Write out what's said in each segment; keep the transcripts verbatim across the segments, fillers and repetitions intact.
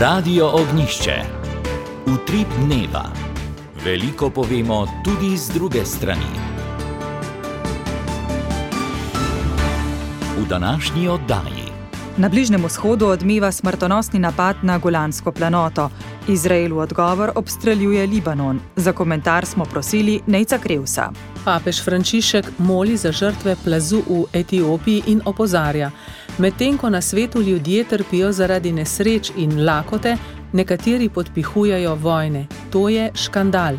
Radio Ognišče. Utrip dneva. Veliko povemo tudi z druge strani. V današnji oddaji. Na Bližnjem vzhodu odmeva smrtonosni napad na Golansko planoto. Izrael v odgovor obstreljuje Libanon. Za komentar smo prosili Nejca Krevsa. Papež Frančišek moli za žrtve plazu v Etiopiji in opozarja: medtem ko na svetu ljudje trpijo zaradi nesreč in lakote, nekateri podpihujejo vojne. To je škandal.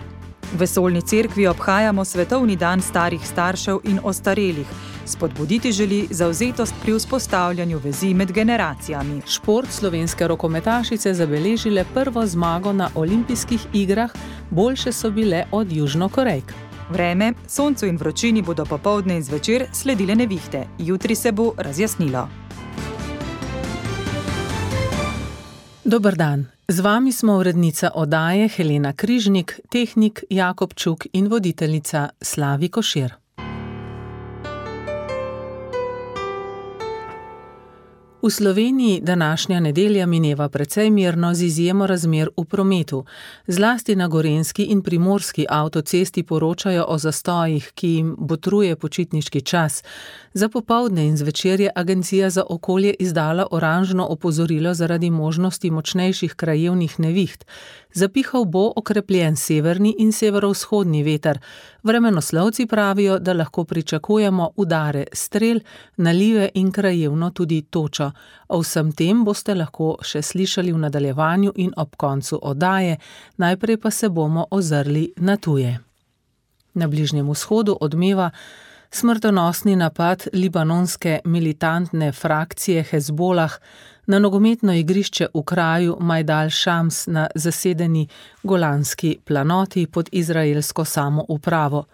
V Vesoljni cerkvi obhajamo Svetovni dan starih staršev in ostarelih. Spodbuditi želi zavzetost pri vzpostavljanju vezi med generacijami. Šport slovenske rokometašice zabeležile prvo zmago na olimpijskih igrah, boljše so bile od Južnokorejk. Vreme, soncu in vročini bodo popoldne in zvečer sledile nevihte. Jutri se bo razjasnilo. Dober dan. Z vami smo urednica oddaje Helena Križnik, tehnik Jakob Čuk in voditeljica Slavi Košir. V Sloveniji današnja nedelja mineva precej mirno z izjemo razmer v prometu. Zlasti na gorenjski in primorski avtocesti poročajo o zastojih, ki jim botruje počitniški čas. Za popoldne in zvečer je Agencija za okolje izdala oranžno opozorilo zaradi možnosti močnejših krajevnih neviht. Zapihal bo okrepljen severni in severovzhodni veter. Vremenoslovci pravijo, da lahko pričakujemo udare strel, nalive in krajevno tudi točo. O vsem tem boste lahko še slišali v nadaljevanju in ob koncu oddaje, najprej pa se bomo ozrli na tuje. Na Bližnjem vzhodu odmeva smrtonosni napad libanonske militantne frakcije Hezbolah na nogometno igrišče v kraju Majdal Šams na zasedeni Golanski planoti pod izraelsko samoupravo.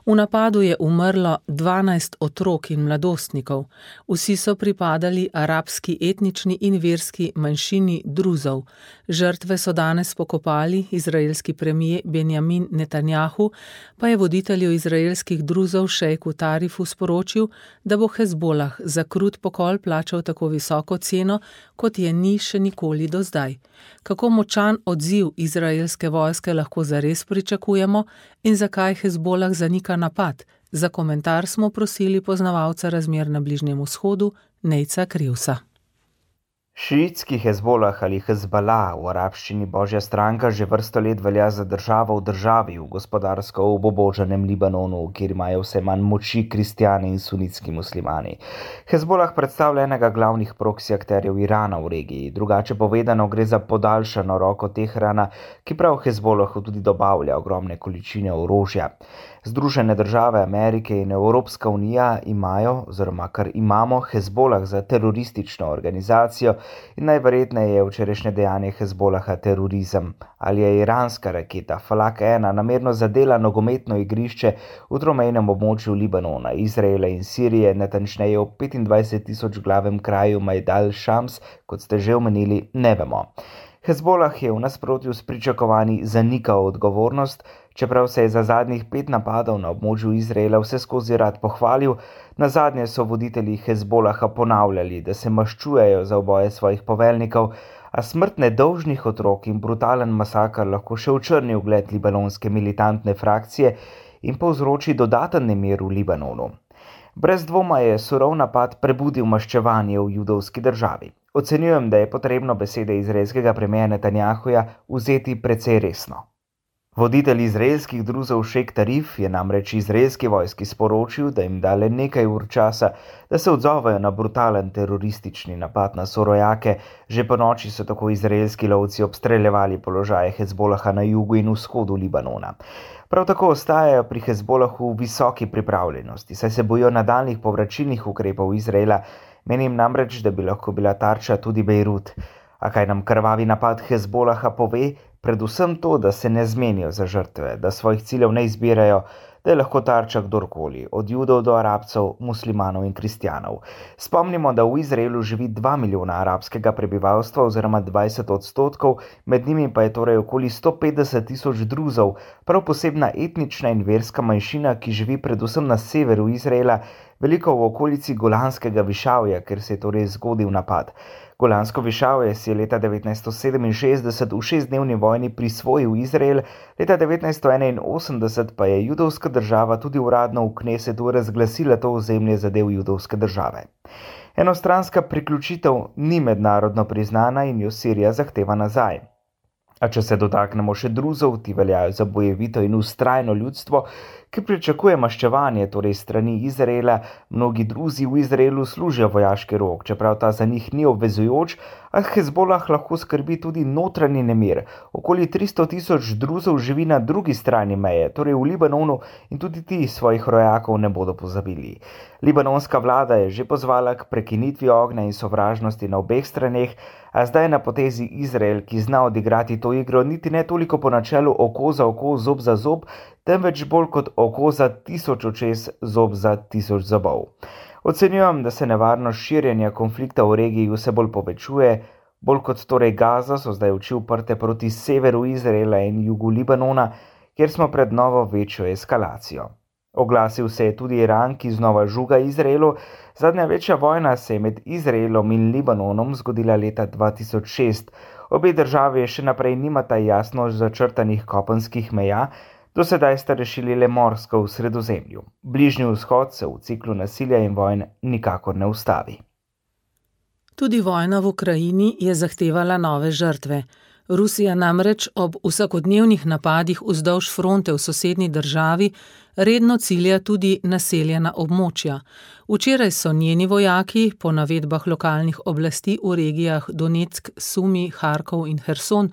V napadu je umrlo dvanajst otrok in mladostnikov. Vsi so pripadali arabski etnični in verski manjšini Druzov. Žrtve so danes pokopali. Izraelski premier Benjamin Netanjahu pa je voditelju izraelskih Druzov šejku Tarifu sporočil, da bo Hezbolah za krut pokol plačal tako visoko ceno, kot je ni še nikoli do zdaj. Kako močan odziv izraelske vojske lahko zares pričakujemo in zakaj Hezbolah zanika napad? Za komentar smo prosili poznavalca razmer na Bližnjem vzhodu Nejca Krevsa. Šiitski Hezbolah ali Hezbalah, v arabščini Božja stranka, že vrsto let velja za državo v državi v gospodarsko obubožanem Libanonu, kjer imajo vse manj moči kristjani in sunitski muslimani. Hezbolah predstavlja enega glavnih proksi akterjev Irana v regiji. Drugače povedano, gre za podaljšano roko Teherana, ki prav Hezbolahu tudi dobavlja ogromne količine orožja. Združene države Amerike in Evropska unija imajo, oziroma kar imamo, Hezbolah za teroristično organizacijo in najverjetneje je včerajšnje dejanje Hezbolaha terorizem. Ali je iranska raketa Falak ena namerno zadela nogometno igrišče v tromejnem območju Libanona, Izraela in Sirije, natančneje v petindvajset tisoč glavem kraju Majdal Šams, kot ste že omenili, ne vemo. Hezbolah je v nasprotju s pričakovanji zanikal odgovornost, čeprav se je za zadnjih pet napadov na območju Izraela vse skozi rad pohvalil. Nazadnje so voditelji Hezbolaha ponavljali, da se maščujejo za uboje svojih poveljnikov, a smrt nedolžnih otrok in brutalen masakr lahko še očrni ugled libanonske militantne frakcije in povzroči dodaten nemir v Libanonu. Brez dvoma je surov napad prebudil maščevanje v judovski državi. Ocenjujem, da je potrebno besede izraelskega premierja Netanjahuja vzeti precej resno. Voditelj izraelskih Druzov šejk Tarif je namreč izraelski vojski sporočil, da jim da le nekaj ur časa, da se odzovejo na brutalen teroristični napad na sorojake. Že po noči so tako izraelski lovci obstreljevali položaje Hezbolaha na jugu in vzhodu Libanona. Prav tako ostajajo pri Hezbolahu v visoki pripravljenosti, saj se bojijo nadaljnjih povračilnih ukrepov Izraela. Menim namreč, da bi lahko bila tarča tudi Bejrut. A kaj nam krvavi napad Hezbolaha pove? Predvsem to, da se ne zmenijo za žrtve, da svojih ciljev ne izbirajo, da je lahko tarča kdorkoli, od judov do arabcev, muslimanov in kristjanov. Spomnimo, da v Izraelu živi dva milijona arabskega prebivalstva oziroma dvajset odstotkov, med njimi pa je torej okoli sto petdeset tisoč Druzov, prav posebna etnična in verska manjšina, ki živi predvsem na severu Izraela. veliko v okolici Golanskega višavja, ker se je torej zgodil napad. Golansko višavje si je leta devetnajststo sedeminšestdeset v šestdnevni vojni prisvojil Izrael, leta devetnajststo enainosemdeset pa je judovska država tudi uradno v Knesetu razglasila to ozemlje za del judovske države. Enostranska priključitev ni mednarodno priznana in jo Sirija zahteva nazaj. A če se dotaknemo še Druzov, ti veljajo za bojevito in vztrajno ljudstvo, ki pričakuje maščevanje, torej strani Izraela. Mnogi Druzi v Izraelu služijo vojaški rok, čeprav ta za njih ni obvezujoč, a Hezbolah lahko skrbi tudi notranji nemir. Okoli tristo tisoč Druzov živi na drugi strani meje, torej v Libanonu, in tudi ti svojih rojakov ne bodo pozabili. Libanonska vlada je že pozvala k prekinitvi ognja in sovražnosti na obeh straneh, a zdaj na potezi Izrael, ki zna odigrati to igro niti ne toliko po načelu oko za oko, zob za zob, temveč bolj kot oko za tisoč očes, zob za tisoč zobov. Ocenjujem, da se nevarnost širjenja konflikta v regiji vse bolj povečuje, bolj kot torej Gaza so zdaj oči uprte proti severu Izraela in jugu Libanona, kjer smo pred novo večjo eskalacijo. Oglasil se je tudi Iran, ki znova žuga Izraelu. Zadnja večja vojna se je med Izraelom in Libanonom zgodila leta dva tisoč šest. Obe državi še naprej nimata jasno začrtanih kopenskih meja, do sedaj sta rešili le morsko v Sredozemlju. Bližnji vzhod se v ciklu nasilja in vojn nikakor ne ustavi. Tudi vojna v Ukrajini je zahtevala nove žrtve. Rusija namreč ob vsakodnevnih napadih vzdolž fronte v sosednji državi redno cilja tudi naseljena območja. Včeraj so njeni vojaki, po navedbah lokalnih oblasti v regijah Donetsk, Sumi, Harkov in Herson,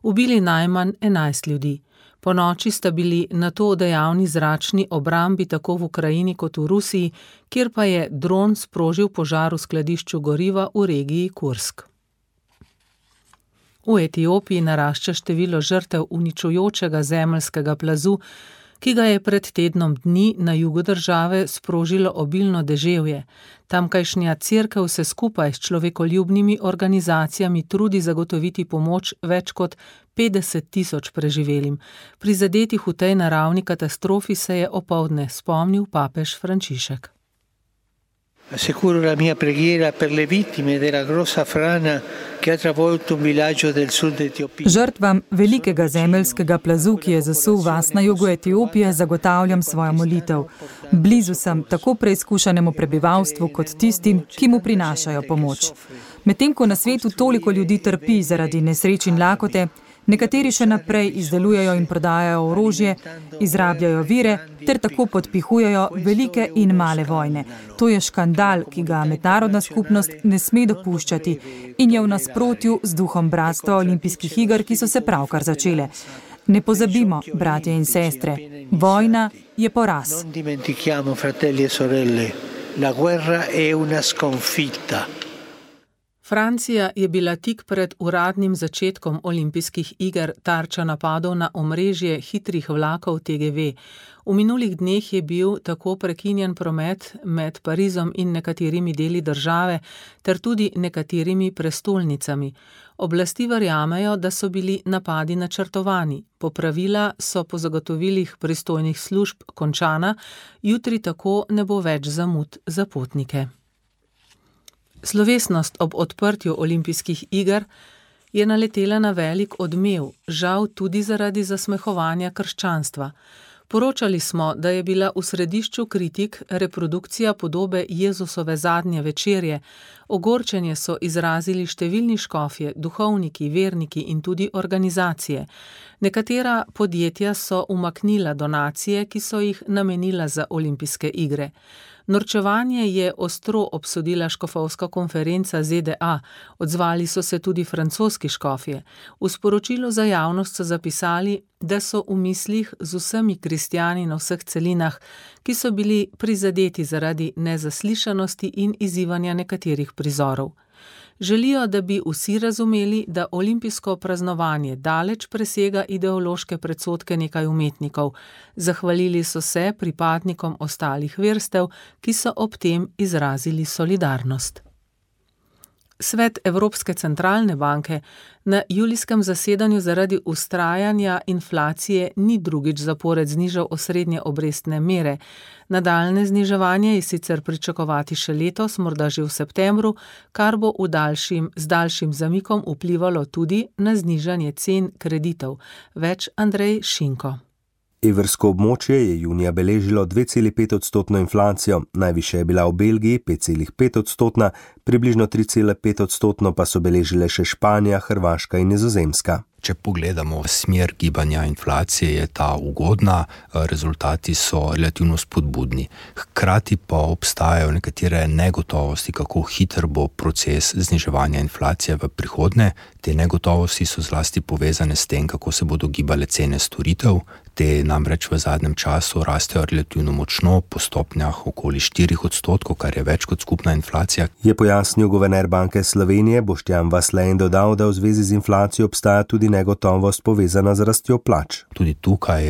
ubili najmanj enajst ljudi. Po noči sta bili nato dejavni zračni obrambi tako v Ukrajini kot v Rusiji, kjer pa je dron sprožil požar v skladišču goriva v regiji Kursk. V Etiopiji narašča število žrtev uničujočega zemeljskega plazu, ki ga je pred tednom dni na jugu države sprožilo obilno deževje. Tamkajšnja cerkev se skupaj s človekoljubnimi organizacijami trudi zagotoviti pomoč več kot petdeset tisoč preživelim. Prizadetih v tej naravni katastrofi se je opoldne spomnil papež Frančišek. Assicuro la mia preghiera per le vittime della grossa frana che ha travolto un villaggio del sud Etiopije. Žrtvam velikega zemeljskega plazu, ki je zasul vas na jugu Etiopije, zagotavljam svojo molitev. Blizu sem tako preizkušenemu prebivalstvu kot tistim, ki mu prinašajo pomoč. Medtem ko na svetu toliko ljudi trpi zaradi nesreč in lakote, nekateri še naprej izdelujejo in prodajajo orožje, izrabljajo vire ter tako podpihujejo velike in male vojne. To je škandal, ki ga mednarodna skupnost ne sme dopuščati in je v nasprotju z duhom bratstva olimpijskih iger, ki so se pravkar začele. Ne pozabimo, bratje in sestre, vojna je poraz. Non dimentichiamo, fratelli e sorelle, la guerra è una sconfitta. Francija je bila tik pred uradnim začetkom olimpijskih iger tarča napadov na omrežje hitrih vlakov T G V. V minulih dneh je bil tako prekinjen promet med Parizom in nekaterimi deli države ter tudi nekaterimi prestolnicami. Oblasti verjamejo, da so bili napadi načrtovani. Popravila so po zagotovilih pristojnih služb končana, jutri tako ne bo več zamud za potnike. Slovesnost ob odprtju olimpijskih iger je naletela na velik odmev, žal tudi zaradi zasmehovanja krščanstva. Poročali smo, da je bila v središču kritik reprodukcija podobe Jezusove zadnje večerje. Ogorčenje so izrazili številni škofje, duhovniki, verniki in tudi organizacije. Nekatera podjetja so umaknila donacije, ki so jih namenila za olimpijske igre. Norčevanje je ostro obsodila škofovska konferenca Z D A, odzvali so se tudi francoski škofje. V sporočilu za javnost so zapisali, da so v mislih z vsemi kristjani na vseh celinah, ki so bili prizadeti zaradi nezaslišanosti in izzivanja nekaterih prizorov. Želijo, da bi vsi razumeli, da olimpijsko praznovanje daleč presega ideološke predsodke nekaj umetnikov. Zahvalili so se pripadnikom ostalih verstev, ki so ob tem izrazili solidarnost. Svet Evropske centralne banke na julijskem zasedanju zaradi vztrajanja inflacije ni drugič zapored znižal osrednje obrestne mere. Nadaljnje zniževanje je sicer pričakovati še letos, morda že v septembru, kar bo v daljšim, z daljšim zamikom vplivalo tudi na znižanje cen kreditov. Več Andrej Šinko. Evrsko območje je junija beležilo dve celi pet odstotno inflacijo, najvišja je bila v Belgiji pet celi pet odstotna, približno tri celi pet odstotno pa so beležile še Španija, Hrvaška in Nizozemska. Če pogledamo smer gibanja inflacije, je ta ugodna, rezultati so relativno spodbudni. Hkrati pa obstajajo nekatere negotovosti, kako hiter bo proces zniževanja inflacije v prihodnje. Te negotovosti so zlasti povezane s tem, kako se bodo gibale cene storitev. Te namreč v zadnjem času rastejo relativno močno, po stopnjah okoli štirih odstotkov, kar je več kot skupna inflacija. Je pojasnil guverner Banke Slovenije Boštjan Vasle in dodal, da v zvezi z inflacijo obstaja tudi negotovost povezana z rastjo plač. Tudi tukaj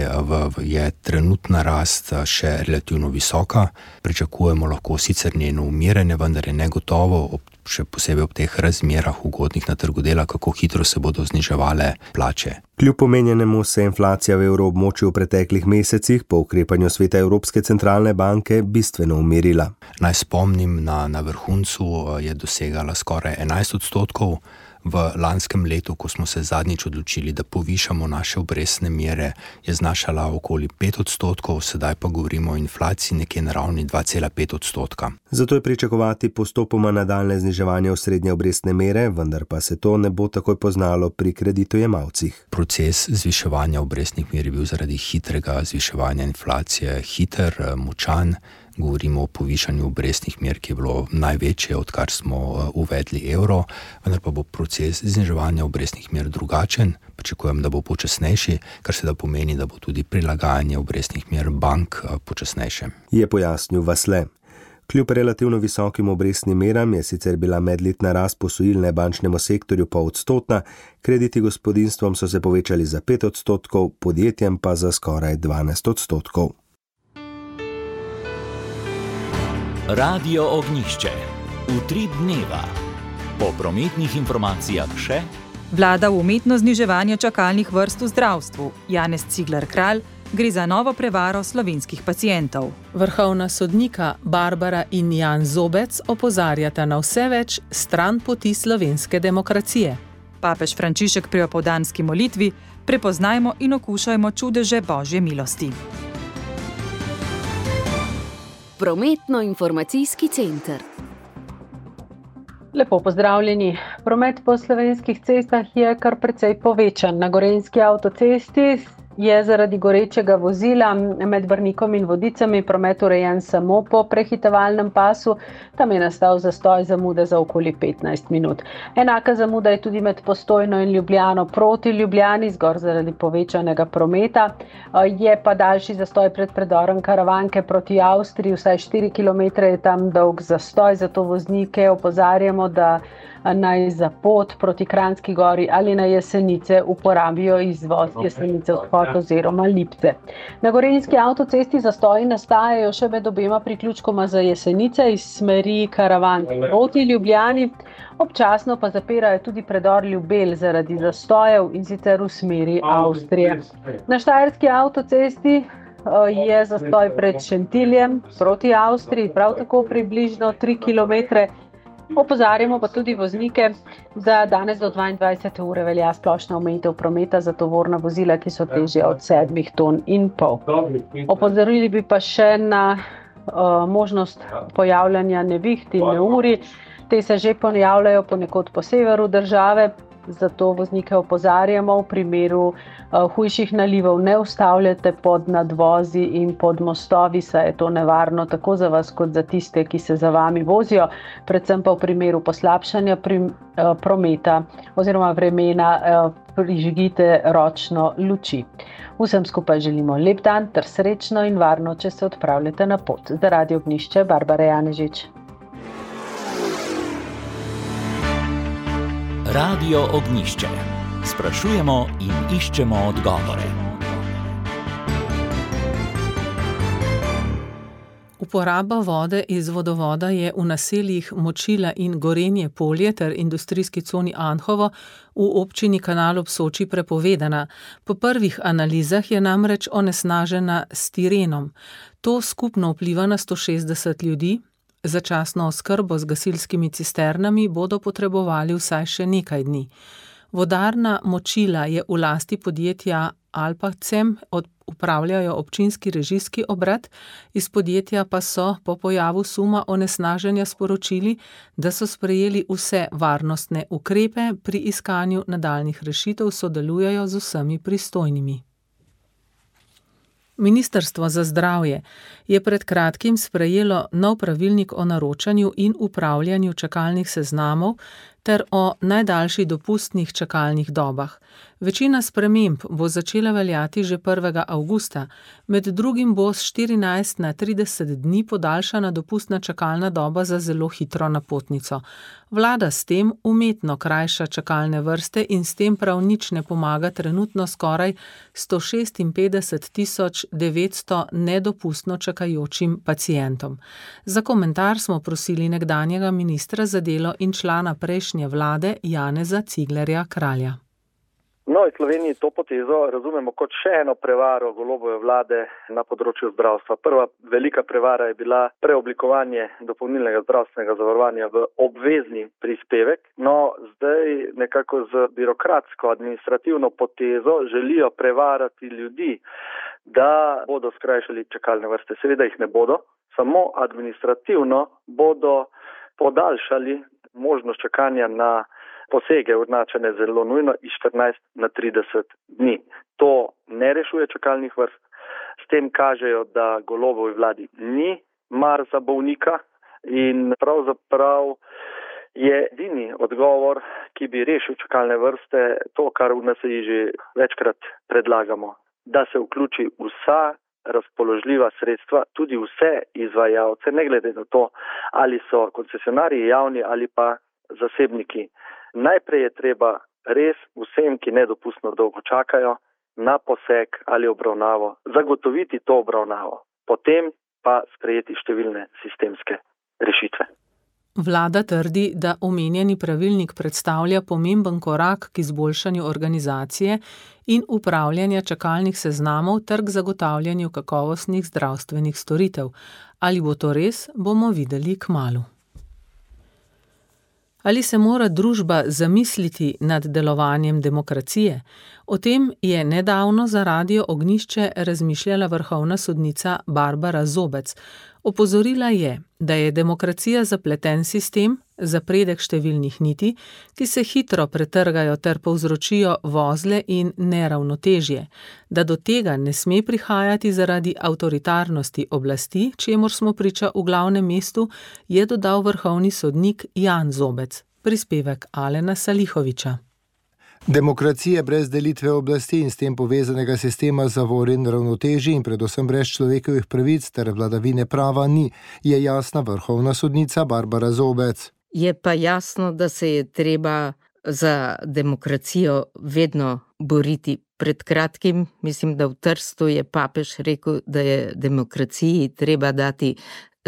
je trenutna rast še relativno visoka. Pričakujemo lahko sicer njeno umiranje, vendar je negotovo, še posebej ob teh razmerah ugodnih na trgu dela, kako hitro se bodo zniževale plače. Kljub omenjenemu se inflacija v evroobmočju v preteklih mesecih po ukrepanju Sveta Evropske centralne banke bistveno umirila. Naj spomnim, na, na vrhuncu je dosegala skoraj enajst odstotkov. V lanskem letu, ko smo se zadnjič odločili, da povišamo naše obrestne mere, je znašala okoli pet odstotkov, sedaj pa govorimo o inflaciji nekje na ravni dva cela pet odstotka. Zato je pričakovati postopoma nadaljnje zniževanje osrednje obrestne mere, vendar pa se to ne bo takoj poznalo pri kreditojemalcih. Proces zviševanja obrestnih mer je bil zaradi hitrega zviševanja inflacije hiter, močan. Govorimo o povišanju obrestnih mer, ki je bilo največje, odkar smo uvedli evro, vendar pa bo proces zniževanja obrestnih mer drugačen. Pričakujem, da bo počasnejši, kar se da pomeni, da bo tudi prilagajanje obrestnih mer bank počasnejše. Je pojasnil Vasle. Kljub relativno visokim obrestnim meram je sicer bila medletna rast posojilne bančnemu sektorju pol odstotna, krediti gospodinjstvom so se povečali za pet odstotkov, podjetjem pa za skoraj dvanajst odstotkov. Radio Ognjišče. Utrip dneva. Po prometnih informacijah še Vlada v umetno zniževanje čakalnih vrst v zdravstvu. Janez Cigler Kralj, gre za novo prevaro slovenskih pacientov. Vrhovna sodnika Barbara in Jan Zobec opozarjata na vse več stran poti slovenske demokracije. Papež Frančišek pri opoldanski molitvi: prepoznajmo in okušajmo čudeže Božje milosti. Prometno-informacijski center. Lepo pozdravljeni. Promet po slovenskih cestah je kar precej povečan. Na Gorenjski avtocesti je zaradi gorečega vozila med Brnikom in Vodicami promet urejen samo po prehitevalnem pasu. Tam je nastal zastoj zamude za okoli petnajst minut. Enaka zamuda je tudi med Postojno in Ljubljano proti Ljubljani, zgor zaradi povečanega prometa. Je pa daljši zastoj pred predorom Karavanke proti Avstriji, vsaj štiri kilometre je tam dolg zastoj, zato voznike opozarjamo, da naj za pot proti Kranjski gori ali na Jesenice uporabijo izvoz Jesenice odhod oziroma Lipce. Na Gorenjski avtocesti zastoji nastajajo še med obema priključkoma za Jesenice iz smeri Karavanke proti Ljubljani, občasno pa zapirajo tudi predor Ljubelj zaradi zastojev in sicer v smeri Avstrije. Na Štajerski avtocesti je zastoj pred Šentiljem proti Avstriji, prav tako približno tri kilometre. Opozarjamo pa tudi voznike, da danes do dvaindvajsete ure velja splošna omejitev prometa za tovorna vozila, ki so težja od sedmih ton in pol. Opozorili bi pa še na uh, možnost pojavljanja neviht in neurij. Te se že pojavljajo ponekod po severu države, zato voznike opozarjamo, v primeru uh, hujših nalivov ne ustavljate pod nadvozi in pod mostovi, saj je to nevarno tako za vas kot za tiste, ki se za vami vozijo, predvsem pa v primeru poslabšanja pri, uh, prometa oziroma vremena uh, prižgite ročno luči. Vsem skupaj želimo lep dan ter srečno in varno, če se odpravljate na pot. Za Radio Ognjišče, Barbara Janežič. Radio Ognjišče. Sprašujemo in iščemo odgovore. V Uporaba vode iz vodovoda je v naseljih Močila in Gorenje polje ter industrijski coni Anhovo v občini Kanal ob Soči prepovedana. Po prvih analizah je namreč onesnažena s tirenom. To skupno vpliva na sto šestdeset ljudi. Začasno oskrbo z gasilskimi cisternami bodo potrebovali vsaj še nekaj dni. Vodarna Močila je v lasti podjetja Alpacem, upravljajo občinski režijski obrat, iz podjetja pa so po pojavu suma onesnaženja sporočili, da so sprejeli vse varnostne ukrepe, pri iskanju nadaljnjih rešitev sodelujejo z vsemi pristojnimi. Ministrstvo za zdravje je pred kratkim sprejelo nov pravilnik o naročanju in upravljanju čakalnih seznamov ter o najdaljših dopustnih čakalnih dobah. Večina sprememb bo začela veljati že prvega avgusta, med drugim bo s štirinajst na trideset dni podaljšana dopustna čakalna doba za zelo hitro napotnico. Vlada s tem umetno krajša čakalne vrste in s tem prav nič ne pomaga trenutno skoraj sto šestinpetdeset tisoč devetsto nedopustno čakajočim pacientom. Za komentar smo prosili nekdanjega ministra za delo in člana prejšnje vlade Janeza Ciglerja Kralja. No, v Sloveniji to potezo razumemo kot še eno prevaro Golobove vlade na področju zdravstva. Prva velika prevara je bila preoblikovanje dopolnilnega zdravstvenega zavarovanja v obvezni prispevek. No, zdaj nekako z birokratsko administrativno potezo želijo prevarati ljudi, da bodo skrajšali čakalne vrste. Seveda jih ne bodo, samo administrativno bodo podaljšali možnost čakanja na posege označene zelo nujno iz štirinajst na trideset dni. To ne rešuje čakalnih vrst. S tem kažejo, da Golobovi vladi ni mar za bolnika in pravzaprav je edini odgovor, ki bi rešil čakalne vrste, to, kar v N S I že večkrat predlagamo, da se vključi vsa razpoložljiva sredstva, tudi vse izvajalce, ne glede na to, ali so koncesionarji javni ali pa zasebniki. Najprej je treba res vsem, ki nedopustno dolgo čakajo na poseg ali obravnavo, zagotoviti to obravnavo, potem pa sprejeti številne sistemske rešitve. Vlada trdi, da omenjeni pravilnik predstavlja pomemben korak k izboljšanju organizacije in upravljanja čakalnih seznamov ter k zagotavljanju kakovostnih zdravstvenih storitev. Ali bo to res, bomo videli kmalu. Ali se mora družba zamisliti nad delovanjem demokracije? O tem je nedavno za Radio Ognjišče razmišljala vrhovna sodnica Barbara Zobec. Opozorila je, da je demokracija zapleten sistem, zapredek številnih niti, ki se hitro pretrgajo ter povzročijo vozle in neravnotežje, da do tega ne sme prihajati zaradi avtoritarnosti oblasti, čemur smo priča v glavnem mestu, je dodal vrhovni sodnik Jan Zobec. Prispevek Alena Salihoviča. Demokracije brez delitve oblasti in s tem povezanega sistema zavor in ravnotežij in predvsem brez človekovih pravic ter vladavine prava ni, je jasna vrhovna sodnica Barbara Zobec. Je pa jasno, da se je treba za demokracijo vedno boriti. Pred kratkim, mislim, da v Trstu je papež rekel, da je demokraciji treba dati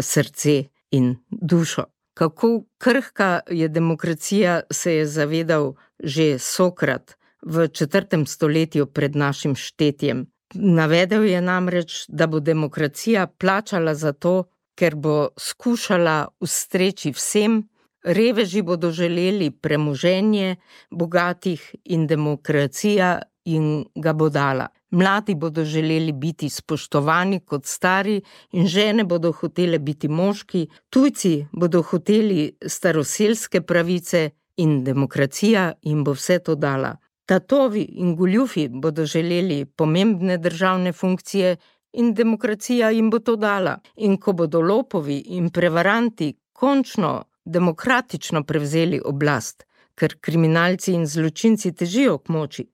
srce in dušo. Kako krhka je demokracija, se je zavedal že Sokrat v četrtem stoletju pred našim štetjem. Navedel je namreč, da bo demokracija plačala za to, ker bo skušala ustreči vsem, reveži bodo želeli premoženje bogatih in demokracija jim ga bo dala. Mladi bodo želeli biti spoštovani kot stari in žene bodo hotele biti moški, tujci bodo hoteli staroselske pravice in demokracija jim bo vse to dala. Tatovi in goljufi bodo želeli pomembne državne funkcije in demokracija jim bo to dala. In ko bodo lopovi in prevaranti končno demokratično prevzeli oblast, ker kriminalci in zločinci težijo k moči,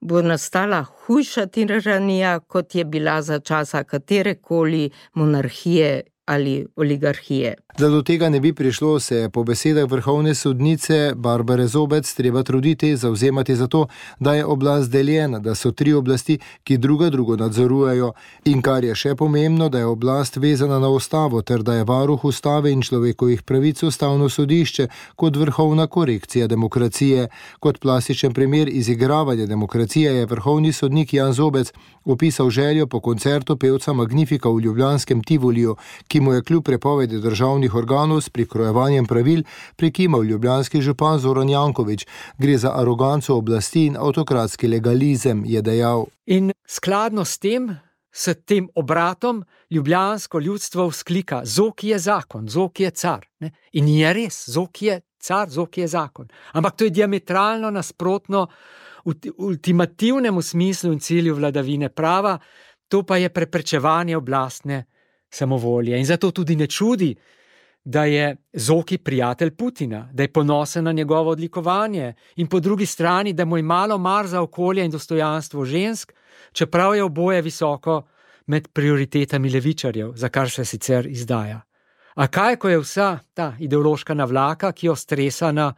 bo nastala hujša tiranija, kot je bila za časa katerekoli monarhije ali oligarhije. Da do tega ne bi prišlo, se je po besedah vrhovne sodnice Barbare Zobec treba truditi, zavzemati za to, da je oblast deljena, da so tri oblasti, ki druga drugo nadzorujejo, in kar je še pomembno, da je oblast vezana na ustavo ter da je varuh ustave in človekovih pravic ustavno sodišče kot vrhovna korekcija demokracije. Kot plastičen primer izigravanja demokracije je vrhovni sodnik Jan Zobec opisal željo po koncertu pevca Magnifika v ljubljanskem Tivoliju, ki mu je kljub prepovedi državnih organov s prikrojevanjem pravil prekimal ljubljanski župan Zoran Janković. Gre za aroganco oblasti in avtokratski legalizem, je dejal. In skladno s tem, s tem obratom, ljubljansko ljudstvo vzklika: Zoki je zakon, Zoki je car. Ne? In je res, Zoki je car, Zoki je zakon. Ampak to je diametralno nasprotno v ultimativnemu smislu in cilju vladavine prava, to pa je preprečevanje oblastne samovolje. In zato tudi ne čudi, da je Zoki prijatelj Putina, da je ponosen na njegovo odlikovanje in po drugi strani, da mu je malo mar za okolje in dostojanstvo žensk, čeprav je oboje visoko med prioritetami levičarjev, za kar se sicer izdaja. A kaj, ko je vsa ta ideološka navlaka, ki jo stresa na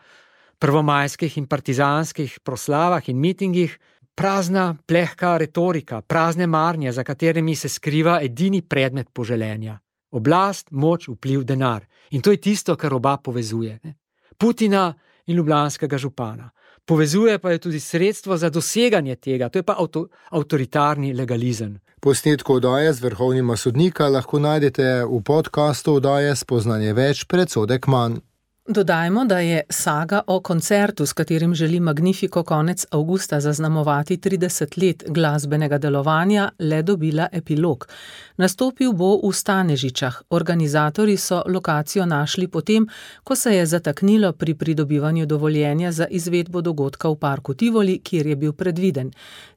prvomajskih in partizanskih proslavah in mitingih, prazna, plehka retorika, prazne marnje, za katerimi se skriva edini predmet poželenja. Oblast, moč, vpliv, denar. In to je tisto, kar oba povezuje. Ne? Putina in ljubljanskega župana. Povezuje pa je tudi sredstvo za doseganje tega, to je pa avto, avtoritarni legalizem. Posnetko oddaje z vrhovnima sodnika lahko najdete v podkastu oddaje Spoznanje več, predsodek manj. Dodajmo, da je saga o koncertu, s katerim želi Magnifiko konec avgusta zaznamovati trideset let glasbenega delovanja, le dobila epilog. Nastopil bo v Stanežičah. Organizatorji so lokacijo našli potem, ko se je zataknilo pri pridobivanju dovoljenja za izvedbo dogodka v parku Tivoli, kjer je bil predviden.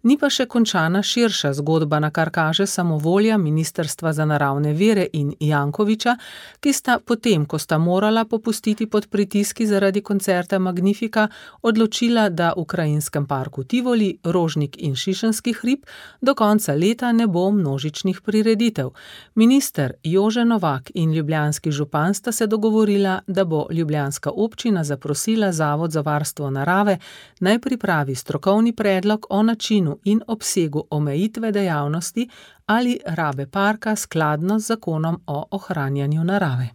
Ni pa še končana širša zgodba, na kar kaže samovolja Ministrstva za naravne vire in Jankovića, ki sta potem, ko sta morala popustiti pod pritiski zaradi koncerta Magnifika, odločila, da v krajinskem parku Tivoli, Rožnik in Šišenski hrib do konca leta ne bo množičnih prireditev. Minister Jože Novak in ljubljanski župan sta se dogovorila, da bo ljubljanska občina zaprosila Zavod za varstvo narave, naj pripravi strokovni predlog o načinu in obsegu omejitve dejavnosti ali rabe parka skladno z zakonom o ohranjanju narave.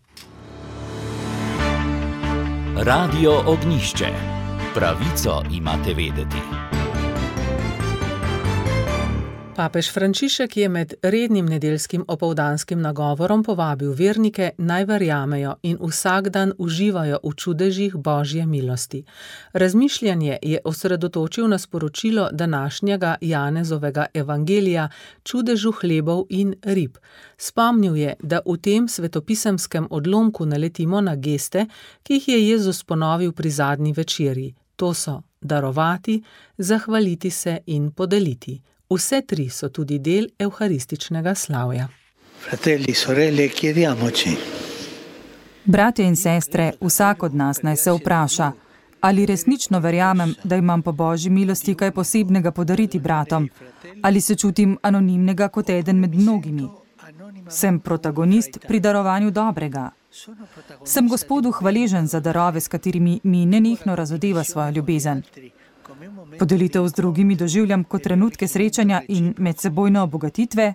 Radio Ognjišče. Pravico imate vedeti. Papež Frančišek je med rednim nedeljskim opoldanskim nagovorom povabil vernike, naj verjamejo in vsak dan uživajo v čudežih Božje milosti. Razmišljanje je osredotočil na sporočilo današnjega Janezovega evangelija, čudežu hlebov in rib. Spomnil je, da v tem svetopisemskem odlomku naletimo na geste, ki jih je Jezus ponovil pri zadnji večerji. To so darovati, zahvaliti se in podeliti. Vse tri so tudi del evharističnega slavja. Fratelli, sorelle, chiediamoci. Bratje in sestre, vsak od nas naj se vpraša, ali resnično verjamem, da imam po Božji milosti kaj posebnega podariti bratom, ali se čutim anonimnega kot eden med mnogimi. Sem protagonist pri darovanju dobrega. Sem Gospodu hvaležen za darove, s katerimi mi nenehno razodeva svojo ljubezen. Podelitev z drugimi doživljam kot trenutke srečanja in medsebojne obogatitve.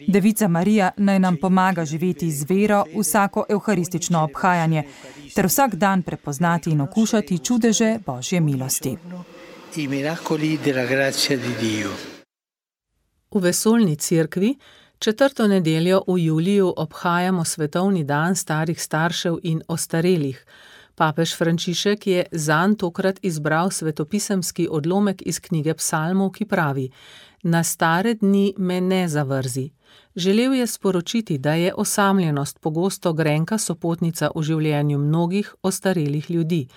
Devica Marija naj nam pomaga živeti z vero vsako evharistično obhajanje ter vsak dan prepoznati in okušati čudeže Božje milosti. V vesoljni cerkvi četrto nedeljo v juliju obhajamo svetovni dan starih staršev in ostarelih. Papež Frančišek je zanj tokrat izbral svetopisemski odlomek iz knjige Psalmov, ki pravi: Na stare dni me ne zavrzi. Želel je sporočiti, da je osamljenost pogosto grenka sopotnica v življenju mnogih ostarelih ljudi.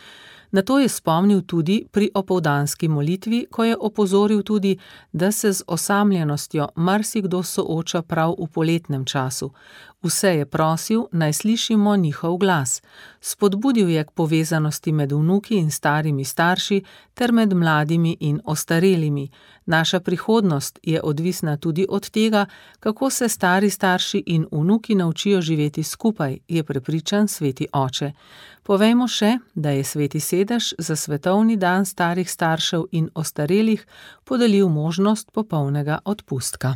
Na to je spomnil tudi pri opoldanski molitvi, ko je opozoril tudi, da se z osamljenostjo marsikdo sooča prav v poletnem času. Vse je prosil, naj slišimo njihov glas. Spodbudil je k povezanosti med vnuki in starimi starši ter med mladimi in ostarelimi. Naša prihodnost je odvisna tudi od tega, kako se stari starši in vnuki naučijo živeti skupaj, je prepričan sveti oče. Povejmo še, da je sveti sedež za svetovni dan starih staršev in ostarelih podelil možnost popolnega odpustka.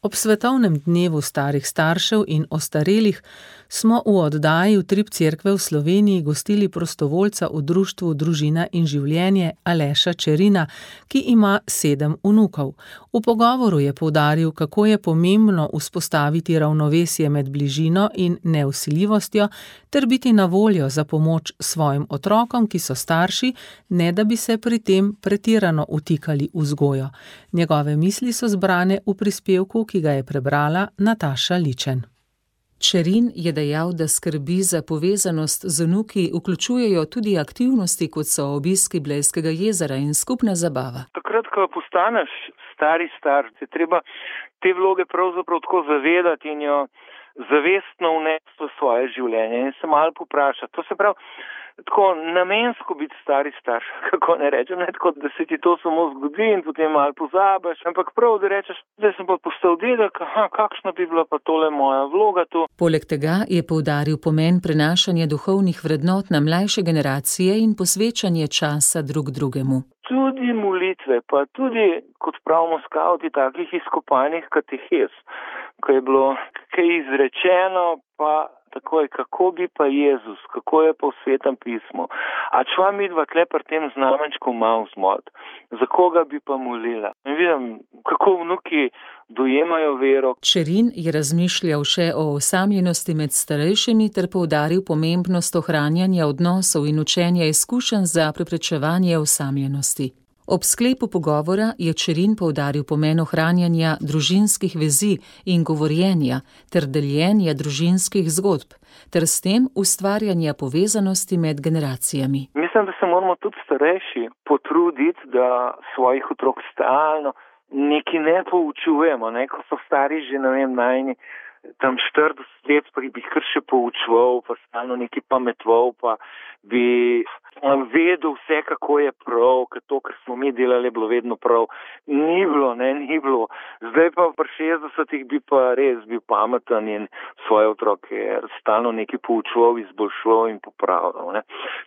Ob svetovnem dnevu starih staršev in ostarelih smo v oddaji Utrip cerkve v Sloveniji gostili prostovoljca v društvu Družina in življenje Aleša Čerina, ki ima sedem vnukov. V pogovoru je poudaril, kako je pomembno vzpostaviti ravnovesje med bližino in nevsiljivostjo ter biti na voljo za pomoč svojim otrokom, ki so starši, ne da bi se pri tem pretirano vtikali v vzgojo. Njegove misli so zbrane v prispevku, ki ga je prebrala Nataša Ličen. Čerin je dejal, da skrbi za povezanost z vnuki vključujejo tudi aktivnosti, kot so obiski Blejskega jezera in skupna zabava. Takrat, ko postaneš stari starš, je treba te vloge pravzaprav tako zavedati in jo zavestno vnesti v svoje življenje in se malo poprašati. To se pravi, tako namensko biti stari starš, kako ne rečem, ne tako, da se ti to samo zgodi in potem malo pozabiš, ampak prav, da rečeš, da sem pa postal dedek, aha, kakšna bi bila pa tole moja vloga tu. Poleg tega je poudaril pomen prenašanja duhovnih vrednot na mlajše generacije in posvečanje časa drug drugemu. Tudi molitve, pa tudi, kot pravimo skavti, takih izkopanih katehez, ko je bilo kaj izrečeno, pa takoj, kako bi pa Jezus, kako je pa v Svetem pismu. A čva midva tle pri tem znamenčku malo zmot, za koga bi pa molila. In vidim, kako vnuki dojemajo vero. Čerin je razmišljal še o osamljenosti med starejšimi ter poudaril pomembnost ohranjanja odnosov in učenja izkušenj za preprečevanje osamljenosti. Ob sklepu pogovora je Čerin poudaril pomen ohranjanja družinskih vezi in govorjenja ter deljenja družinskih zgodb, ter s tem ustvarjanja povezanosti med generacijami. Mislim, da se moramo tudi starejši potruditi, da svojih otrok stalno nekaj ne poučujemo, ne? Ko so stari že, ne vem, najni tam štirideset let, pa bi kar še poučval, pa stalno nekaj pametval, pa bi vedel vse, kako je prav, ker to, kar smo mi delali, je bilo vedno prav. Ni bilo, ne, ni bilo. Zdaj pa pri šestdesetih bi pa res bil pameten in svoje otroke stalno nekaj poučval, izboljšval in popravljal, ne.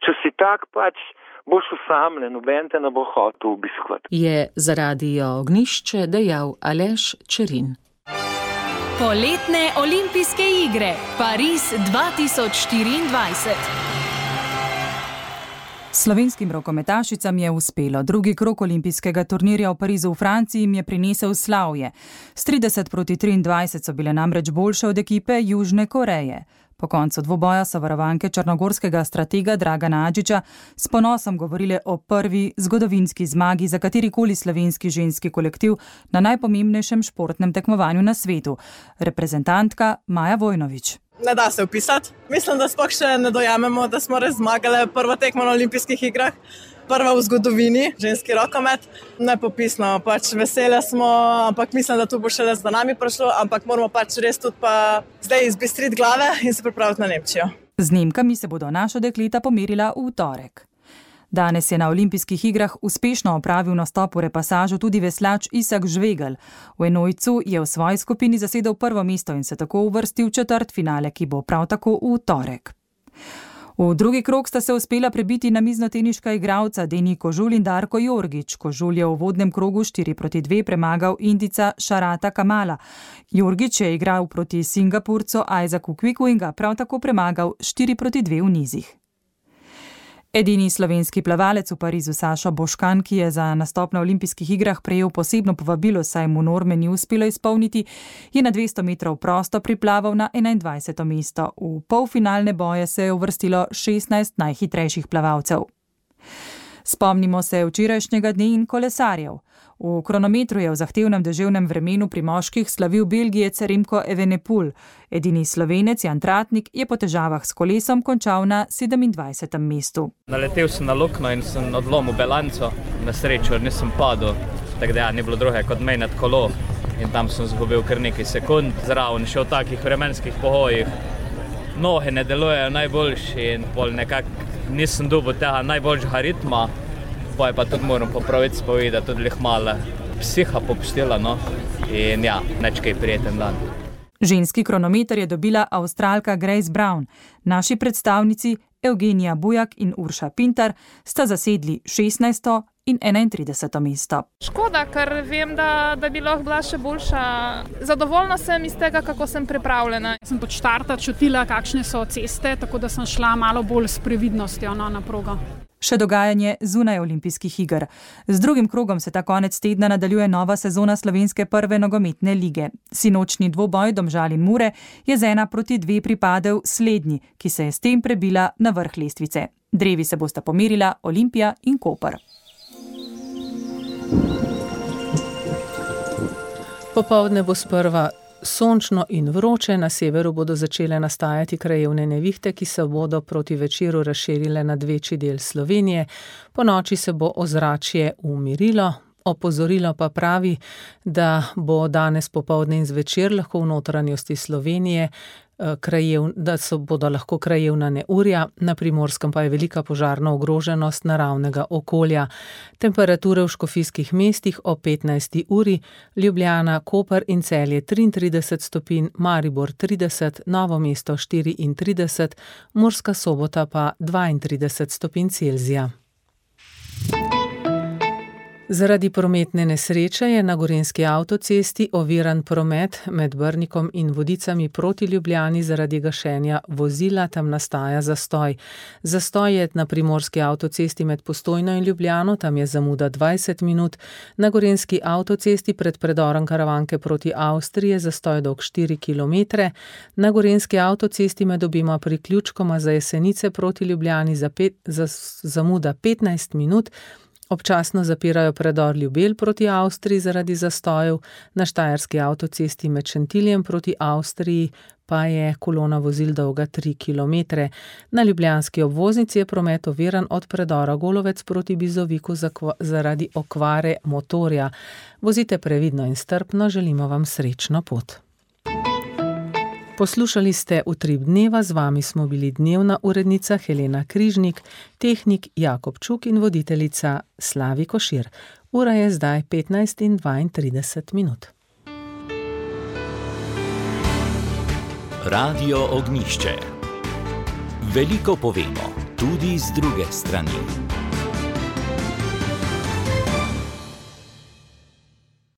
Če si tak, pač boš osamljen, noben te ne bo hotel obiskovati. Je za Radio Ognjišče dejal Aleš Čerin. Poletne olimpijske igre Pariz dva tisoč štiriindvajset. Slovenskim rokometašicam je uspelo. Drugi krog olimpijskega turnirja v Parizu v Franciji jim je prinesel slavje. S trideset proti triindvajset so bile namreč boljše od ekipe Južne Koreje. Po koncu dvoboja so varovanke črnogorskega stratega Dragana Adžiča s ponosom govorile o prvi zgodovinski zmagi za katerikoli slovenski ženski kolektiv na najpomembnejšem športnem tekmovanju na svetu. Reprezentantka Maja Vojnović. Ne da se opisati. Mislim, da sploh še ne dojamemo, da smo res zmagali prvo tekmo na olimpijskih igrah. Prva v zgodovini, ženski rokomet. Nepopisno, pač vesele smo, ampak mislim, da tu bo šele za nami prišlo, ampak moramo pač res tudi pa zdaj izbistriti glave in se pripraviti na Nemčijo. Z Nemkami se bodo naša dekleta pomerila v torek. Danes je na olimpijskih igrah uspešno opravil nastop v repasažu tudi veslač Isak Žvegelj. V enojcu je v svoji skupini zasedel prvo mesto in se tako uvrstil v četrtfinale, ki bo prav tako v torek. V drugi krog sta se uspela prebiti namiznoteniška igralca Deni Kožul in Darko Jorgič. Kožul je v uvodnem krogu štiri proti dve premagal Indijca Šarata Kamala. Jorgič je igral proti Singapurcu Isaacu Kviku in ga prav tako premagal štiri proti dve v nizih. Edini slovenski plavalec v Parizu Sašo Boškan, ki je za nastop na olimpijskih igrah prejel posebno povabilo, saj mu norme ni uspelo izpolniti, je na dvesto metrov prosto priplaval na enaindvajseto mesto. V polfinalne boje se je uvrstilo šestnajst najhitrejših plavalcev. Spomnimo se včerajšnjega dne in kolesarjev. V kronometru je v zahtevnem deževnem vremenu pri moških slavil Belgijec Remko Evenepoel. Edini Slovenec Jan Tratnik je po težavah s kolesom končal na sedemindvajsetem mestu. Naletel sem na luknjo in sem odlomil bilanco, na srečo nisem padel. tako da ja, ni bilo druge kot menjati kolo in tam sem zgubil kar nekaj sekund. Zraven še v takih vremenskih pogojih noge ne delujejo najboljši in pol nekako nisem dobil tega najboljšega ritma, pa je pa tudi moram popraviti spovedi, da tudi lih malo psiha popustila, no, in ja, neč kaj prijeten dan. Ženski kronometer je dobila Avstralka Grace Brown. Naši predstavnici Evgenija Bujak in Urša Pintar sta zasedli šestnajsto in enaintrideseto mesto. Škoda, ker vem, da, da bi lahko bila še boljša. Zadovoljna sem iz tega, kako sem pripravljena. Sem pod štarta čutila, kakšne so ceste, tako da sem šla malo bolj s previdnostjo no, na progo. Še dogajanje zunaj olimpijskih iger. Z drugim krogom se ta konec tedna nadaljuje nova sezona slovenske prve nogometne lige. Sinočni dvoboj Domžal in Mure je z ena proti dve pripadel slednji, ki se je s tem prebila na vrh lestvice. Drevi se bosta pomerila Olimpija in Koper. Popoldne bo sprva sončno in vroče, na severu bodo začele nastajati krajevne nevihte, ki se bodo proti večeru razširile nad večji del Slovenije. Po noči se bo ozračje umirilo, opozorilo pa pravi, da bo danes popoldne in zvečer lahko v notranjosti Slovenije krajev, da so bodo lahko krajevna neurja, na Primorskem pa je velika požarna ogroženost naravnega okolja. Temperature v škofijskih mestih o petnajsti uri, Ljubljana, Koper in Celje triintrideset stopinj, Maribor trideset, Novo mesto štiriintrideset, Murska Sobota pa dvaintrideset stopinj Celzija. Zaradi prometne nesreče je na gorenjski avtocesti oviran promet med Brnikom in Vodicami proti Ljubljani zaradi gašenja vozila, tam nastaja zastoj. Zastoj je na primorski avtocesti med Postojno in Ljubljano, tam je zamuda dvajset minut. Na gorenjski avtocesti pred predorom Karavanke proti Avstriji je zastoj dolg štiri kilometre. Na gorenjski avtocesti med obima priključkoma za Jesenice proti Ljubljani za pet, za, zamuda petnajst minut. Občasno zapirajo predor Ljubelj proti Avstriji zaradi zastojev, na štajerski avtocesti med Šentiljem proti Avstriji pa je kolona vozil dolga tri kilometre. Na ljubljanski obvoznici je promet oviran od predora Golovec proti Bizoviku zaradi okvare motorja. Vozite previdno in strpno, želimo vam srečno pot. Poslušali ste Utrip dneva, z vami smo bili dnevna urednica Helena Križnik, tehnik Jakob Čuk in voditeljica Slavi Košir. Ura je zdaj petnajst in dvaintrideset minut. Radio Ognjišče. Veliko povemo, tudi z druge strani.